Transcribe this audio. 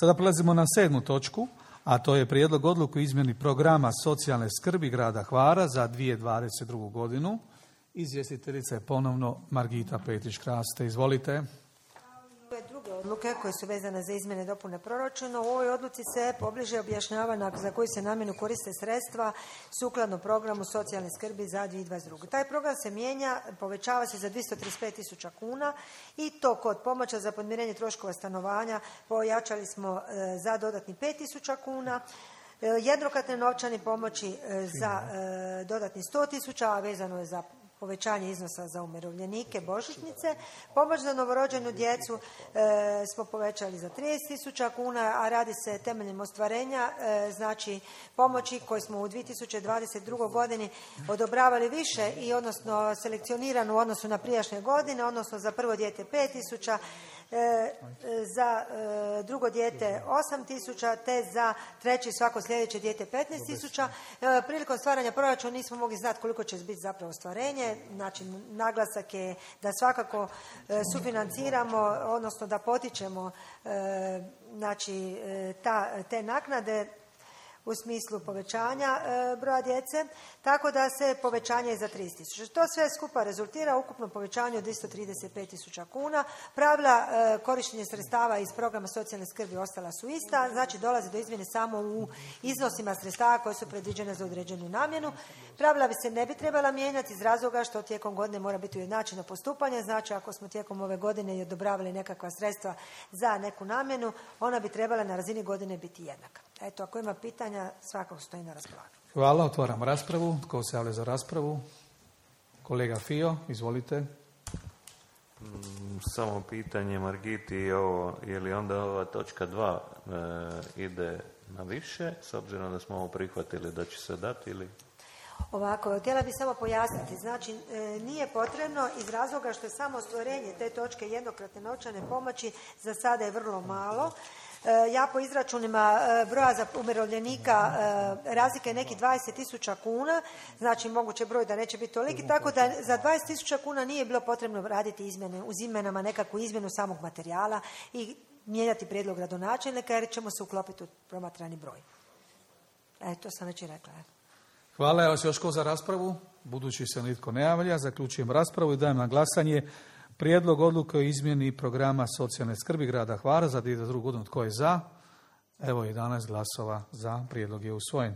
Sada prelazimo na 7. točku, a to je prijedlog odluke o izmjeni programa socijalne skrbi grada Hvara za 2022. godinu. Izvjestiteljica je ponovno Margita Petrić-Kraste. Izvolite. Ove druge odluke koje su vezane za izmjene i dopune proračuna, u ovoj odluci se pobliže objašnjava za koju se namjenu koriste sredstva sukladno programu socijalne skrbi za 2022. Taj program se mijenja, povećava se za 235.000 kuna i to kod pomoća za podmirenje troškova stanovanja pojačali smo za dodatnih 5.000 kuna, jednokratne novčane pomoći za dodatnih 100.000, a vezano je za povećanje iznosa za umirovljenike, božićnice. Pomoć za novorođenu djecu smo povećali za 30.000 kuna, a radi se temeljem ostvarenja, znači pomoći koje smo u 2022. godini odobravali više i odnosno selekcionirano u odnosu na prijašnje godine, odnosno za prvo dijete 5.000, za drugo dijete 8.000, te za treće i svako sljedeće dijete 15.000. Prilikom stvaranja proračuna nismo mogli znati koliko će biti zapravo ostvarenje. Znači, naglasak je da svakako sufinanciramo, odnosno da potičemo znači, te naknade u smislu povećanja broja djece, tako da se povećanje je za 30.000. To sve skupa rezultira ukupno povećanje od 235.000 kuna. Pravila korištenja sredstava iz programa socijalne skrbi ostala su ista, znači dolazi do izmjene samo u iznosima sredstava koje su predviđene za određenu namjenu. Pravila bi se ne bi trebala mijenjati iz razloga što tijekom godine mora biti ujednačeno postupanje, znači ako smo tijekom ove godine i odobravali nekakva sredstva za neku namjenu, ona bi trebala na razini godine biti jednaka. Eto, ako ima pitanja, svakako stoji na raspolaganju. Hvala, otvaram raspravu. Tko se javlja za raspravu? Kolega Fio, izvolite. Samo pitanje Margiti, je li onda ova točka 2 ide na više, s obzirom da smo ovo prihvatili da će se dati ili... Ovako, htjela bih samo pojasniti. Znači, nije potrebno iz razloga što je samo ostvarenje te točke jednokratne novčane pomoći za sada je vrlo malo. Ja po izračunima broja za umirovljenika razlika je nekih 20.000 kuna, znači moguće broj da neće biti toliki, tako da za 20.000 kuna nije bilo potrebno raditi izmjene, uz izmjenama nekakvu izmjenu samog materijala i mijenjati prijedlog gradonačelnika jer ćemo se uklopiti u promatrani broj. To sam već i rekla. Hvala, evo se još ko za raspravu. Budući se nitko ne javlja, zaključujem raspravu i dajem na glasanje prijedlog odluke o izmjeni programa socijalne skrbi grada Hvara za 2022. godinu. Tko je za? Evo 11 glasova za, prijedlog je usvojen.